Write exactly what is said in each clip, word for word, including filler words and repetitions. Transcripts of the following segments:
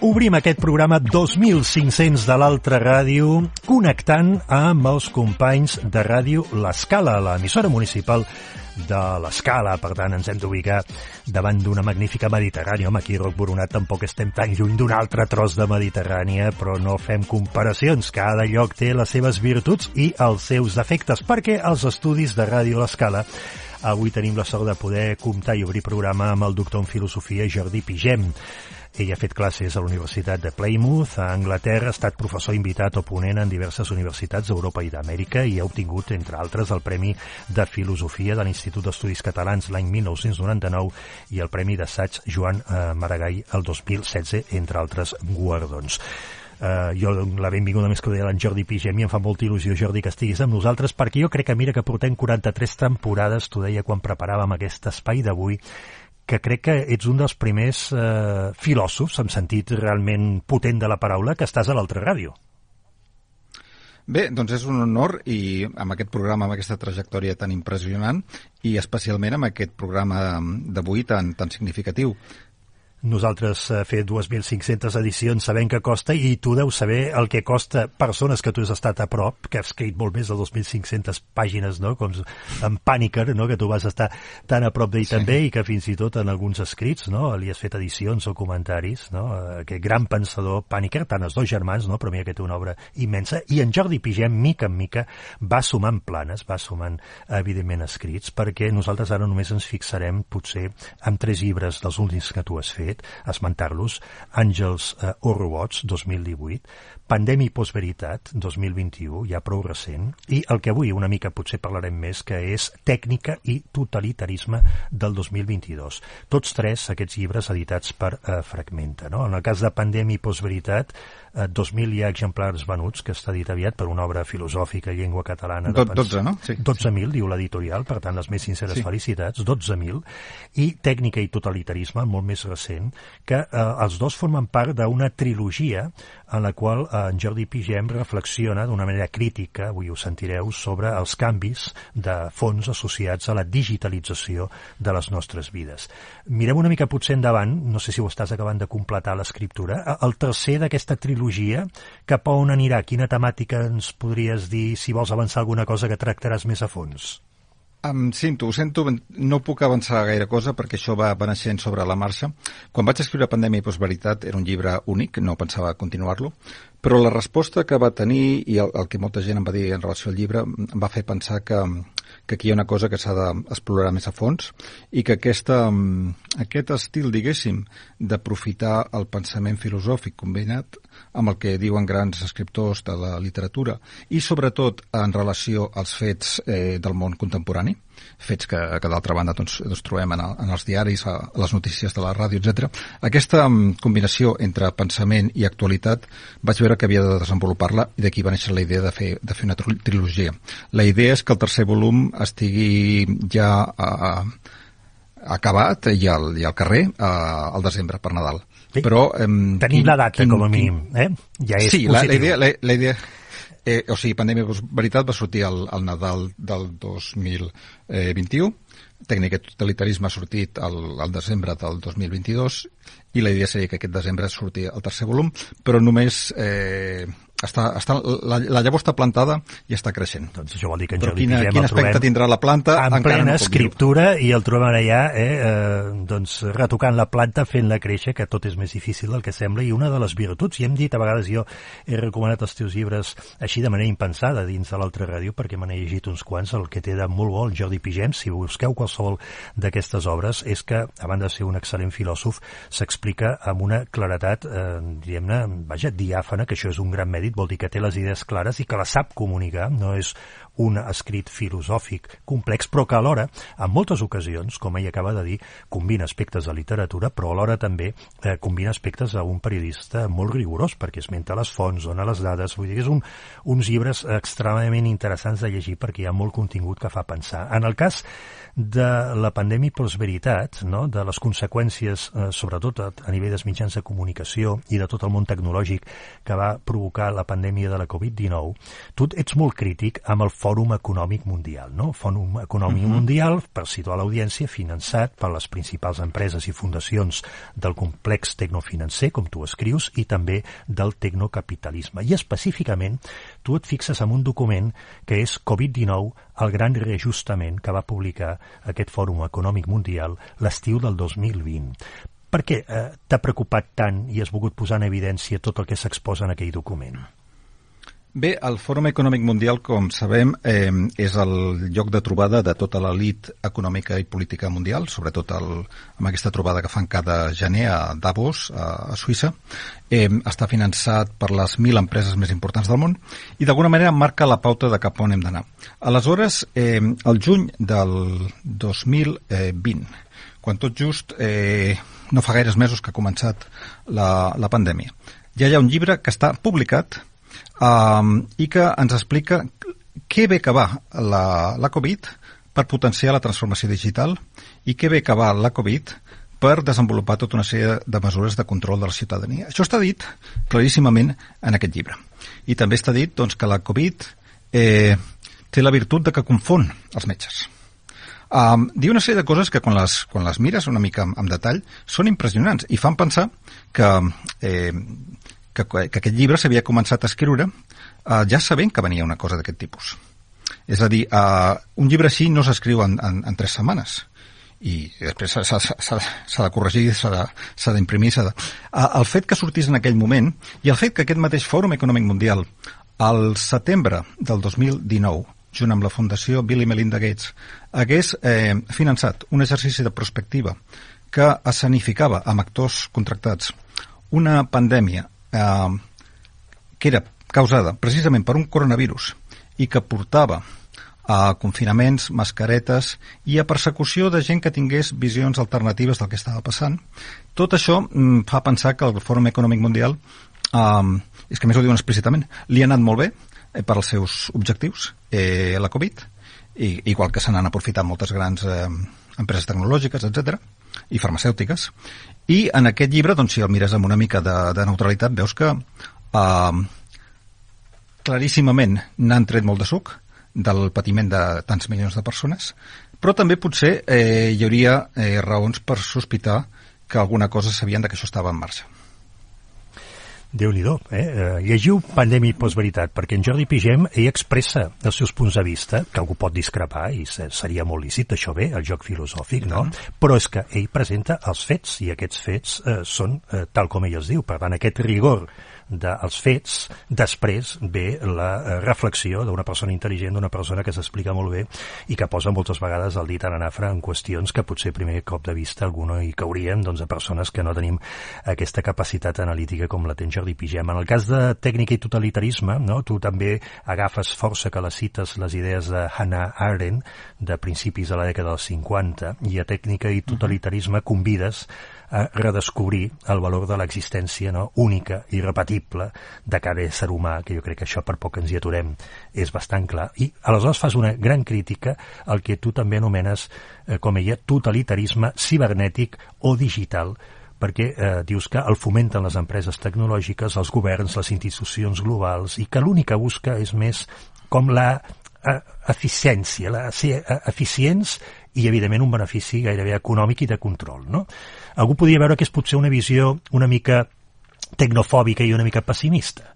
Obrim aquest programa dos mil cinc-cents de l'Altra Ràdio connectant amb els companys de ràdio L'Escala, l'emissora municipal de l'Escala. Per tant, ens hem d'ubicar davant d'una magnífica Mediterrània. Home, aquí a Roc Boronat tampoc estem tan lluny d'un altre tros de Mediterrània, però no fem comparacions. Cada lloc té les seves virtuts i els seus defectes, perquè als estudis de ràdio L'Escala avui tenim la sort de poder comptar i obrir programa amb el doctor en filosofia Jordi Pigem. Ell ha fet classes a la Universitat de Plymouth, a Anglaterra, ha estat professor invitat o ponent en diverses universitats d'Europa i d'Amèrica i ha obtingut, entre altres, el Premi de Filosofia de l'Institut d'Estudis Catalans l'any mil nou-cents noranta-nou i el Premi d'Assaig Joan eh, Maragall el dos mil setze, entre altres guardons. Uh, jo la benvinguda més cordial en Jordi Pigem, i em fa molta il·lusió, Jordi, que estiguis amb nosaltres, perquè jo crec que mira que portem quaranta-tres temporades, t'ho deia quan preparàvem aquest espai d'avui, que crec que ets un dels primers eh, filòsofs, en sentit realment potent de la paraula, que estàs a l'altra ràdio. Bé, doncs és un honor, i amb aquest programa, amb aquesta trajectòria tan impressionant, i especialment amb aquest programa d'avui tan, tan significatiu. Nosaltres eh, fer dos mil cinc-centes edicions sabem que costa, i tu deus saber el que costa persones que tu has estat a prop, que has escrit molt més de dos mil cinc-centes pàgines, no? Com en Pàniker, no? Que tu vas estar tan a prop d'ell, sí, també, i que fins i tot en alguns escrits, no? Li has fet edicions o comentaris, no? Aquest gran pensador Pàniker, tant els dos germans, no? Però mira que té una obra immensa, i en Jordi Pigem, mica en mica, va sumant planes, va sumant, evidentment, escrits, perquè nosaltres ara només ens fixarem, potser, en tres llibres dels últims que tu has fet, esmentar-los: Àngels eh, o robots, dos mil divuit, Pandèmia i postveritat, dos mil vint-i-u, ja prou recent, i el que avui una mica potser parlarem més, que és Tècnica i totalitarisme, del dos mil vint-i-dos. Tots tres aquests llibres editats per eh, Fragmenta, no? En el cas de Pandèmia i postveritat, eh, dos mil hi ha exemplars venuts, que està dit aviat per una obra filosòfica, llengua catalana... De dotze, no? Sí. dotze mil, diu l'editorial, per tant, les més sinceres sí. felicitats, dotze mil, i Tècnica i totalitarisme, molt més recent, que eh, els dos formen part d'una trilogia en la qual eh, en Jordi Pigem reflexiona d'una manera crítica, avui ho sentireu, sobre els canvis de fons associats a la digitalització de les nostres vides. Mirem una mica potser endavant, no sé si ho estàs acabant de completar l'escriptura, el tercer d'aquesta trilogia, cap a on anirà? Quina temàtica ens podries dir, si vols avançar alguna cosa que tractaràs més a fons? Em sento, ho sento, no puc avançar gaire cosa perquè això va, va naixent sobre la marxa. Quan vaig escriure Pandèmia i postveritat era un llibre únic, no pensava continuar-lo, però la resposta que va tenir i el, el que molta gent em va dir en relació al llibre em va fer pensar que, que aquí hi ha una cosa que s'ha d'explorar més a fons i que aquesta, aquest estil, diguéssim, d'aprofitar el pensament filosòfic combinat amb el que diuen grans escriptors de la literatura i sobretot en relació als fets eh, del món contemporani, fets que, que d'altra banda doncs, doncs trobem en, el, en els diaris, a, a les notícies de la ràdio, etcètera. Aquesta um, combinació entre pensament i actualitat vaig veure que havia de desenvolupar-la i d'aquí va néixer la idea de fer, de fer una trilogia. La idea és que el tercer volum estigui ja uh, acabat i al, i al carrer uh, al desembre, per Nadal. Sí. Però, um, tenim quin, la data, quin, com a mínim. Eh? Ja és sí, positiu. La, la idea... La, la idea Eh, o sigui, Pandèmia i postveritat va sortir al, al Nadal del dos mil vint-i-u, Tècnica i totalitarisme ha sortit al, al desembre del dos mil vint-i-dos, i la idea seria que aquest desembre surti el tercer volum, però només... Eh, està, està, la, la llavor està plantada i està creixent. Doncs això vol dir que en Però Jordi quina, Pigem quin el aspecte trobem tindrà la planta en plena no escriptura i el trobem allà eh, eh, doncs, retocant la planta, fent-la créixer, que tot és més difícil del que sembla, i una de les virtuts, i hem dit a vegades, jo he recomanat els teus llibres així de manera impensada dins de l'altra ràdio, perquè me n'he llegit uns quants, el que té de molt bo el Jordi Pigem, si busqueu qualsevol d'aquestes obres, és que, a banda de ser un excel·lent filòsof, s'explica amb una claretat, eh, diguem-ne, vaja, diàfana, que això és un gran mèrit, vol dir que té les idees clares i que la sap comunicar, no és un escrit filosòfic complex, però que alhora, en moltes ocasions, com ell acaba de dir, combina aspectes de literatura, però alhora també eh, combina aspectes d'un periodista molt rigorós, perquè esmenta les fonts, dona les dades, vull dir que és un, uns llibres extremadament interessants de llegir perquè hi ha molt contingut que fa pensar. En el cas de la pandèmia i postveritat, no? De les conseqüències, eh, sobretot a, a nivell dels mitjans de comunicació i de tot el món tecnològic que va provocar la pandèmia de la covid dinou, tu ets molt crític amb el Fòrum Econòmic Mundial, no? Fòrum Econòmic uh-huh. Mundial, per situar l'audiència, finançat per les principals empreses i fundacions del complex tecnofinancer, com tu escrius, i també del tecnocapitalisme. I específicament, tu et fixes en un document que és covid dinou, el gran reajustament que va publicar aquest Fòrum Econòmic Mundial l'estiu del dos mil vint. Per què eh, t'ha preocupat tant i has volgut posar en evidència tot el que s'exposa en aquell document? Bé, el Fòrum Econòmic Mundial, com sabem, eh, és el lloc de trobada de tota l'elit econòmica i política mundial, sobretot el, amb aquesta trobada que fan cada gener a Davos, a, a Suïssa. Eh, està finançat per les mil empreses més importants del món i d'alguna manera marca la pauta de cap on hem d'anar. Aleshores, eh, el juny del dos mil vint, quan tot just eh, no fa gaires mesos que ha començat la, la pandèmia, ja hi ha un llibre que està publicat Um, i que ens explica què bé que va la, la Covid per potenciar la transformació digital i què bé que va la Covid per desenvolupar tota una sèrie de mesures de control de la ciutadania. Això està dit claríssimament en aquest llibre. I també està dit doncs, que la Covid eh, té la virtut de que confon els metges. Um, diu una sèrie de coses que quan les, quan les mires una mica amb, amb detall són impressionants i fan pensar que... Eh, Que, que aquest llibre s'havia començat a escriure eh, ja sabent que venia una cosa d'aquest tipus. És a dir, eh, un llibre així no s'escriu en, en, en tres setmanes i després s'ha de corregir, s'ha d'imprimir, s'ha de... Eh, el fet que sortís en aquell moment i el fet que aquest mateix Fòrum Econòmic Mundial al setembre del dos mil dinou, junt amb la Fundació Bill i Melinda Gates, hagués eh, finançat un exercici de prospectiva que escenificava amb actors contractats una pandèmia Eh, que era causada precisament per un coronavirus i que portava a confinaments, mascaretes i a persecució de gent que tingués visions alternatives del que estava passant. Tot això mm, fa pensar que el Fòrum Econòmic Mundial, eh, és que més ho diuen explícitament, li ha anat molt bé eh, per als seus objectius, eh, la Covid, i, igual que se n'han aprofitat moltes grans eh, empreses tecnològiques, etcètera, i farmacèutiques. I en aquest llibre, doncs, si el mires amb una mica de, de neutralitat, veus que eh, claríssimament n'han tret molt de suc del patiment de tants milions de persones, però també potser eh, hi hauria eh, raons per sospitar que alguna cosa sabien de que això estava en marxa. Déu-n'hi-do, eh? Llegiu Pandèmia i Postveritat, perquè en Jordi Pigem ell expressa els seus punts de vista, que algú pot discrepar, i seria molt lícit, això bé, el joc filosòfic, no? Però és que ell presenta els fets, i aquests fets eh, són eh, tal com ell els diu. Per tant, aquest rigor dels fets, després ve la reflexió d'una persona intel·ligent, d'una persona que s'explica molt bé i que posa moltes vegades el dit en anafra en qüestions que potser a primer cop de vista alguna hi cauríem, doncs, a persones que no tenim aquesta capacitat analítica com la té Jordi Pigem. En el cas de tècnica i totalitarisme, no? Tu també agafes força que les cites les idees de Hannah Arendt de principis de la dècada dels cinquanta, i a tècnica i totalitarisme convides a redescobrir el valor de l'existència, no? Única i repetible de cada ésser humà, que jo crec que això per poc ens hi aturem és bastant clar. I aleshores fas una gran crítica al que tu també anomenes eh, com ella totalitarisme cibernètic o digital, perquè eh, dius que el fomenten les empreses tecnològiques, els governs, les institucions globals, i que l'únic que busca és més com la eh, eficiència, la, ser eh, eficients i, evidentment, un benefici gairebé econòmic i de control, no? Algú podria veure que és potser una visió una mica tecnofòbica i una mica pessimista.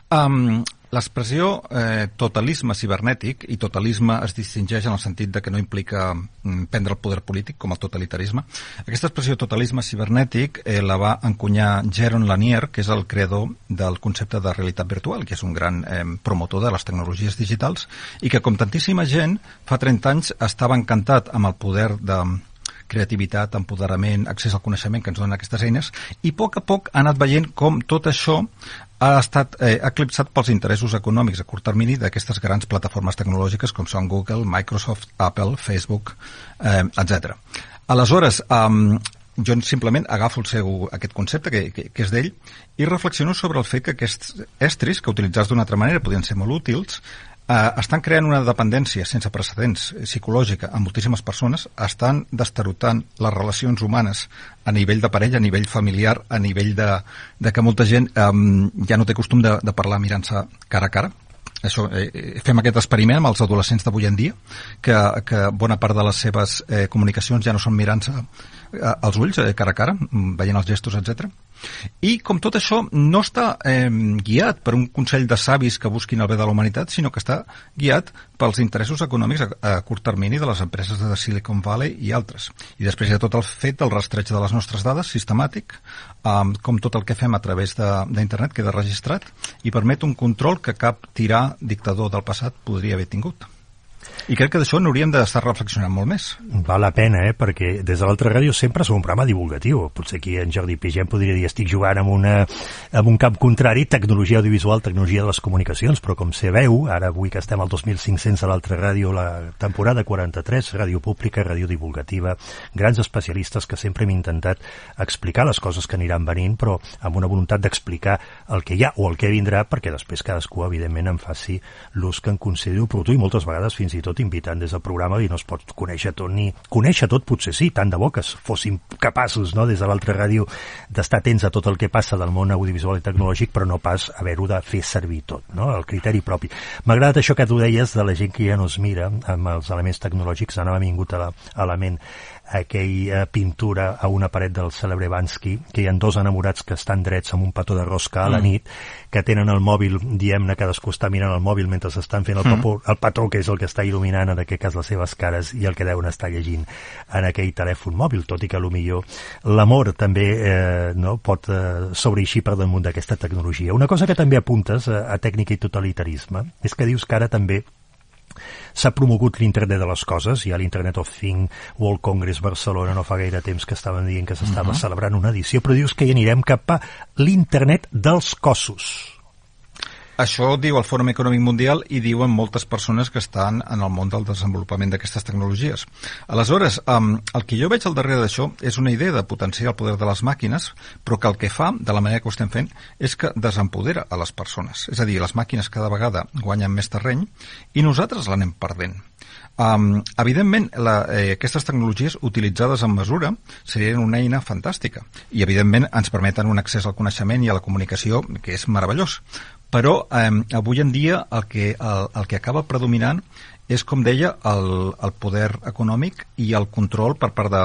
Um, L'expressió eh, totalisme cibernètic, i totalisme es distingeix en el sentit de que no implica mm, prendre el poder polític, com el totalitarisme. Aquesta expressió totalisme cibernètic eh, la va encunyar Jaron Lanier, que és el creador del concepte de realitat virtual, que és un gran eh, promotor de les tecnologies digitals, i que, com tantíssima gent, fa trenta anys estava encantat amb el poder de creativitat, empoderament, accés al coneixement que ens donen aquestes eines, i a poc a poc ha anat veient com tot això ha estat eh, eclipsat pels interessos econòmics a curt termini d'aquestes grans plataformes tecnològiques com són Google, Microsoft, Apple, Facebook, eh, etcètera. Aleshores, eh, jo simplement agafo el seu, aquest concepte que, que, que és d'ell i reflexiono sobre el fet que aquests estris, que utilitzats d'una altra manera podien ser molt útils, eh, estan creant una dependència sense precedents psicològica a moltíssimes persones, estan destarotant les relacions humanes a nivell de parella, a nivell familiar, a nivell de, de que molta gent eh, ja no té costum de, de parlar mirant-se cara a cara. Això, eh, fem aquest experiment amb els adolescents d'avui en dia, que, que bona part de les seves eh, comunicacions ja no són mirant-se eh, als ulls, eh, cara a cara, veient els gestos, etcètera. I com tot això no està eh, guiat per un consell de savis que busquin el bé de la humanitat, sinó que està guiat pels interessos econòmics a, a curt termini de les empreses de Silicon Valley i altres. I després hi ha tot el fet del rastreig de les nostres dades sistemàtic, eh, com tot el que fem a través d'internet queda registrat i permet un control que cap tirà dictador del passat podria haver tingut. I crec que d'això n'hauríem d'estar reflexionant molt més. Val la pena, eh? Perquè des de l'altra ràdio sempre som un programa divulgatiu. Potser aquí en Jordi Pigem podria dir estic jugant amb, una, amb un camp contrari, tecnologia audiovisual, tecnologia de les comunicacions, però com se veu, ara avui que estem al dos mil cinc-cents a l'altra ràdio, la temporada quaranta-tres, ràdio pública, ràdio divulgativa, grans especialistes que sempre hem intentat explicar les coses que aniran venint, però amb una voluntat d'explicar el que hi ha o el que vindrà, perquè després cadascú, evidentment, en faci l'ús que en consideri oportú i moltes vegades fins i tot invitant des del programa i no es pot conèixer tot ni... Conèixer tot potser sí, tant de bo que fóssim capaços, no?, des de l'altra ràdio d'estar atents a tot el que passa del món audiovisual i tecnològic, però no pas haver-ho de fer servir tot, no?, el criteri propi. M'ha agradat això que tu deies de la gent que ja no es mira amb els elements tecnològics, ara m'ha vingut a la, a la ment aquella pintura a una paret del cèlebre Bansky, que hi ha dos enamorats que estan drets amb un petó de rosca a la nit, que tenen el mòbil, diem-ne, cadascú està mirant el mòbil mentre s'estan fent el, papó, el petó, que és el que està il·luminant en aquest cas les seves cares i el que deuen estar llegint en aquell telèfon mòbil, tot i que potser l'amor també eh, no, pot eh, sobreixir per damunt d'aquesta tecnologia. Una cosa que també apuntes a, a tècnica i totalitarisme és que dius que ara també s'ha promogut l'internet de les coses. Hi ha l'Internet of Things, World Congress Barcelona, no fa gaire temps que estaven dient que s'estava uh-huh. celebrant una edició, però dius que hi anirem cap a l'internet dels cossos. Això diu el Fòrum Econòmic Mundial i diuen moltes persones que estan en el món del desenvolupament d'aquestes tecnologies. Aleshores, um, el que jo veig al darrere d'això és una idea de potenciar el poder de les màquines, però que el que fa, de la manera que ho estem fent, és que desempodera a les persones. És a dir, les màquines cada vegada guanyen més terreny i nosaltres l'anem perdent. Um, evidentment, la, eh, aquestes tecnologies utilitzades en mesura serien una eina fantàstica i, evidentment, ens permeten un accés al coneixement i a la comunicació que és meravellós. Però eh, avui en dia el que, el, el que acaba predominant és, com deia, el, el poder econòmic i el control per part de,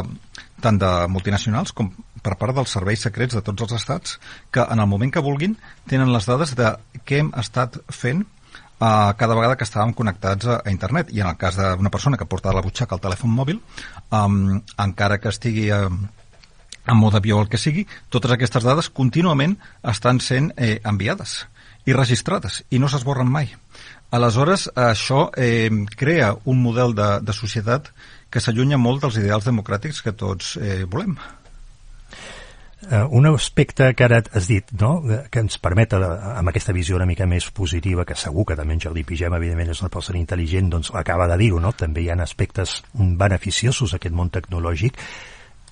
tant de multinacionals com per part dels serveis secrets de tots els estats, que en el moment que vulguin tenen les dades de què hem estat fent Uh, cada vegada que estàvem connectats a, a internet. I en el cas d'una persona que porta a la butxaca el telèfon mòbil, um, encara que estigui uh, en mode avió o el que sigui, totes aquestes dades contínuament estan sent eh, enviades i registrades i no s'esborren mai. Aleshores, això eh, crea un model de, de societat que s'allunya molt dels ideals democràtics que tots eh, volem. Uh, un aspecte que ara has dit, no?, que ens permet, amb aquesta visió una mica més positiva, que segur que també en Jordi Pigem, evidentment, és una persona intel·ligent, doncs acaba de dir-ho, no?, també hi ha aspectes beneficiosos a aquest món tecnològic,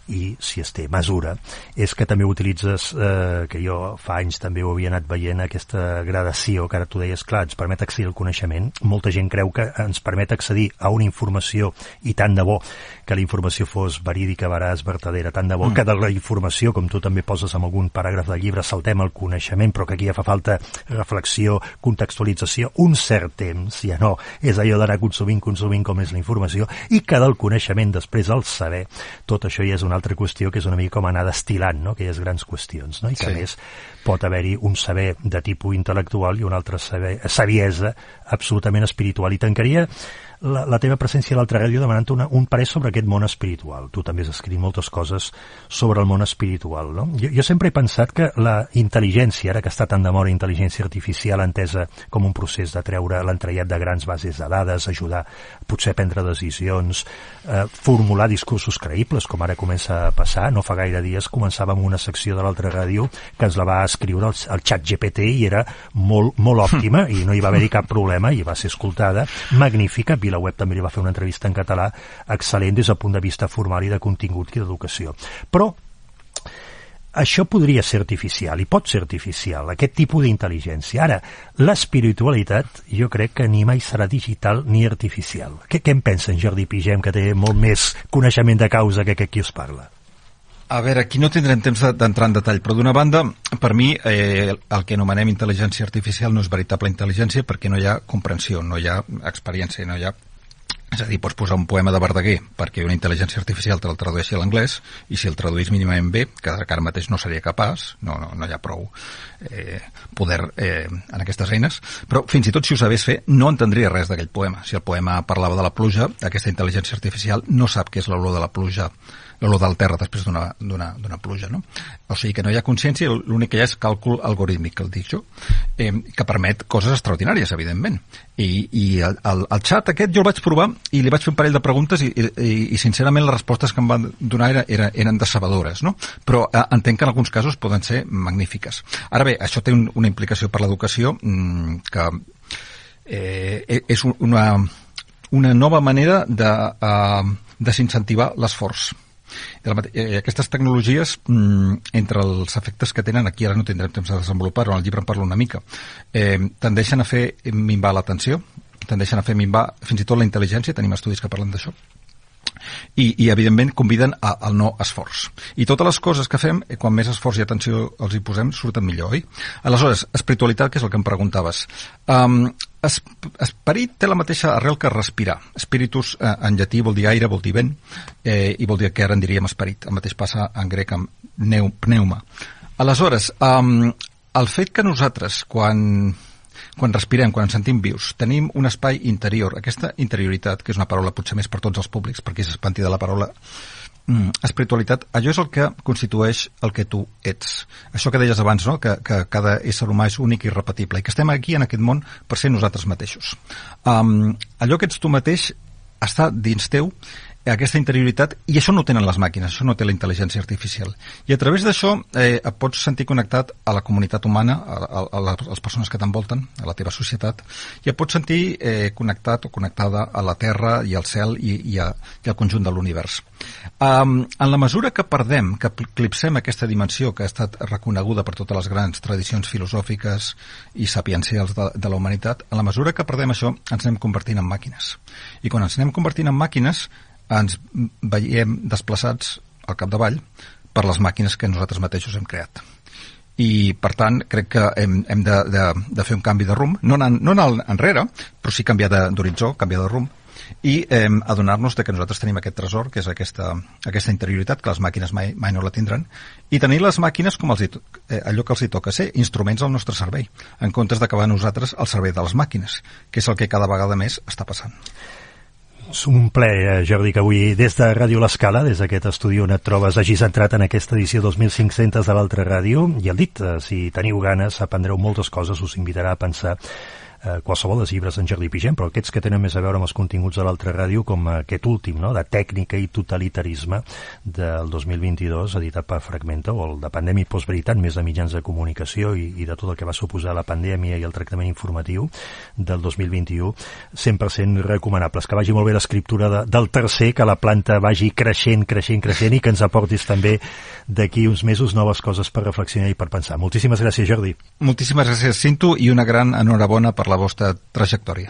i si es té mesura, és que també utilitzes, eh, que jo fa anys també ho havia anat veient, aquesta gradació que ara tu deies, clar, ens permet accedir al coneixement. Molta gent creu que ens permet accedir a una informació, i tant de bo que la informació fos verídica, veraç, vertadera, tant de bo mm. que de la informació, com tu també poses en algun paràgraf del llibre, saltem el coneixement, però que aquí ja fa falta reflexió, contextualització, un cert temps, ja no, és allò d'anar consumint, consumint com és la informació, i que del coneixement després el saber, tot això ja és una altra qüestió que és una mica com anar destil·lant, no?, aquelles grans qüestions, no?, i que sí. A més pot haver-hi un saber de tipus intel·lectual i un altre saber, saviesa absolutament espiritual. I tancaria la, la teva presència a l'altra ràdio demanant una, un parer sobre aquest món espiritual. Tu també has escrit moltes coses sobre el món espiritual, no? Jo, jo sempre he pensat que la intel·ligència, ara que està tan de moda intel·ligència artificial entesa com un procés de treure l'entrellat de grans bases de dades, ajudar potser a prendre decisions, eh, formular discursos creïbles, com ara comença a passar. No fa gaire dies començàvem una secció de l'altra ràdio que ens la va escriure el, el xat G P T i era molt, molt òptima i no hi va haver-hi cap problema i va ser escoltada, magnífica. VilaWeb també li va fer una entrevista en català excel·lent des del punt de vista formal i de contingut i d'educació. Però això podria ser artificial, i pot ser artificial, aquest tipus d'intel·ligència. Ara, l'espiritualitat jo crec que ni mai serà digital ni artificial. Què, què en pensa en Jordi Pigem, que té molt més coneixement de causa que qui us parla? A veure, aquí no tindrem temps d'entrar en detall, però d'una banda, per mi, eh, el que anomenem intel·ligència artificial no és veritable intel·ligència perquè no hi ha comprensió, no hi ha experiència, no hi ha... És a dir, pots posar un poema de Verdaguer perquè una intel·ligència artificial te el tradueixi a l'anglès, i si el traduís mínimament bé, que ara mateix no seria capaç, no, no, no hi ha prou eh, poder eh, en aquestes eines, però fins i tot si ho sabés fer no entendria res d'aquell poema. Si el poema parlava de la pluja, aquesta intel·ligència artificial no sap què és l'olor de la pluja, l'olor del terra després d'una, d'una, d'una pluja, no? O sigui que no hi ha consciència, l'únic que hi ha és càlcul algorítmic, que el dic jo, eh, que permet coses extraordinàries, evidentment. I, i el, el, el xat aquest jo el vaig provar i li vaig fer un parell de preguntes i, i, i sincerament les respostes que em van donar era, era, eren decebedores, no? Però eh, entenc que en alguns casos poden ser magnífiques. Ara bé, això té un, una implicació per l'educació mmm, que eh, és una, una nova manera de uh, desincentivar l'esforç. Aquestes tecnologies, entre els efectes que tenen, aquí ara no tindrem temps de desenvolupar-ho, en el llibre en parlo una mica, eh, tendeixen a fer minvar l'atenció, tendeixen a fer minvar fins i tot la intel·ligència, tenim estudis que parlen d'això, i, i evidentment conviden a, al no esforç. I totes les coses que fem, quan més esforç i atenció els hi posem, surten millor, oi? Aleshores, espiritualitat, que és el que em preguntaves. Um, es, esperit té la mateixa arrel que respirar. Spiritus eh, en llatí vol dir aire, vol dir vent, eh, i vol dir que ara en diríem esperit. El mateix passa en grec amb neu, pneuma. Aleshores, um, el fet que nosaltres, quan... quan respirem, quan ens sentim vius, tenim un espai interior. Aquesta interioritat, que és una paraula potser més per tots els públics, perquè s'espanti de la paraula mm, espiritualitat, allò és el que constitueix el que tu ets. Això que deies abans, no? que, que cada ésser humà és únic i irrepetible, i que estem aquí en aquest món per ser nosaltres mateixos. Um, allò que ets tu mateix està dins teu, aquesta interioritat, i això no ho tenen les màquines, això no té la intel·ligència artificial. I a través d'això eh, et pots sentir connectat a la comunitat humana, a, a, a les persones que t'envolten, a la teva societat, i et pots sentir eh, connectat o connectada a la Terra i al cel i, i, a, i al conjunt de l'univers. Um, en la mesura que perdem, que eclipsem aquesta dimensió que ha estat reconeguda per totes les grans tradicions filosòfiques i sapiencials de, de la humanitat, en la mesura que perdem això, ens anem convertint en màquines. I quan ens anem convertint en màquines, ens veiem desplaçats al capdavall per les màquines que nosaltres mateixos hem creat. I, per tant, crec que hem, hem de, de, de fer un canvi de rumb, no anar, no anar enrere, però sí canviar d'horitzó, canviar de rumb, i eh, adonar-nos de que nosaltres tenim aquest tresor, que és aquesta, aquesta interioritat, que les màquines mai, mai no la tindran, i tenir les màquines com els hi, eh, allò que els hi toca ser, instruments al nostre servei, en comptes d'acabar nosaltres al servei de les màquines, que és el que cada vegada més està passant. És un plaer, Jordi, que avui des de Ràdio L'Escala, des d'aquest estudi on et trobes, hagis entrat en aquesta edició dos mil cinc-cents de l'Altra Ràdio, i el dit, si teniu ganes, aprendreu moltes coses, us invitarà a pensar eh, qualsevol dels llibres d'en Jordi Pigem, però aquests que tenen més a veure amb els continguts de l'Altra Ràdio, com aquest últim, no?, de tècnica i totalitarisme del dos mil vint-i-dos, editat per Fragmenta, o el de pandèmia i postveritat, més de mitjans de comunicació i, i de tot el que va suposar la pandèmia i el tractament informatiu del dos mil vint-i-u, cent per cent recomanables. Que vagi molt bé l'escriptura de, del tercer, que la planta vagi creixent, creixent, creixent, i que ens aportis també d'aquí uns mesos noves coses per reflexionar i per pensar. Moltíssimes gràcies, Jordi. Moltíssimes gràcies, Cinto, i una gran enhorabona per la vostra trajectòria.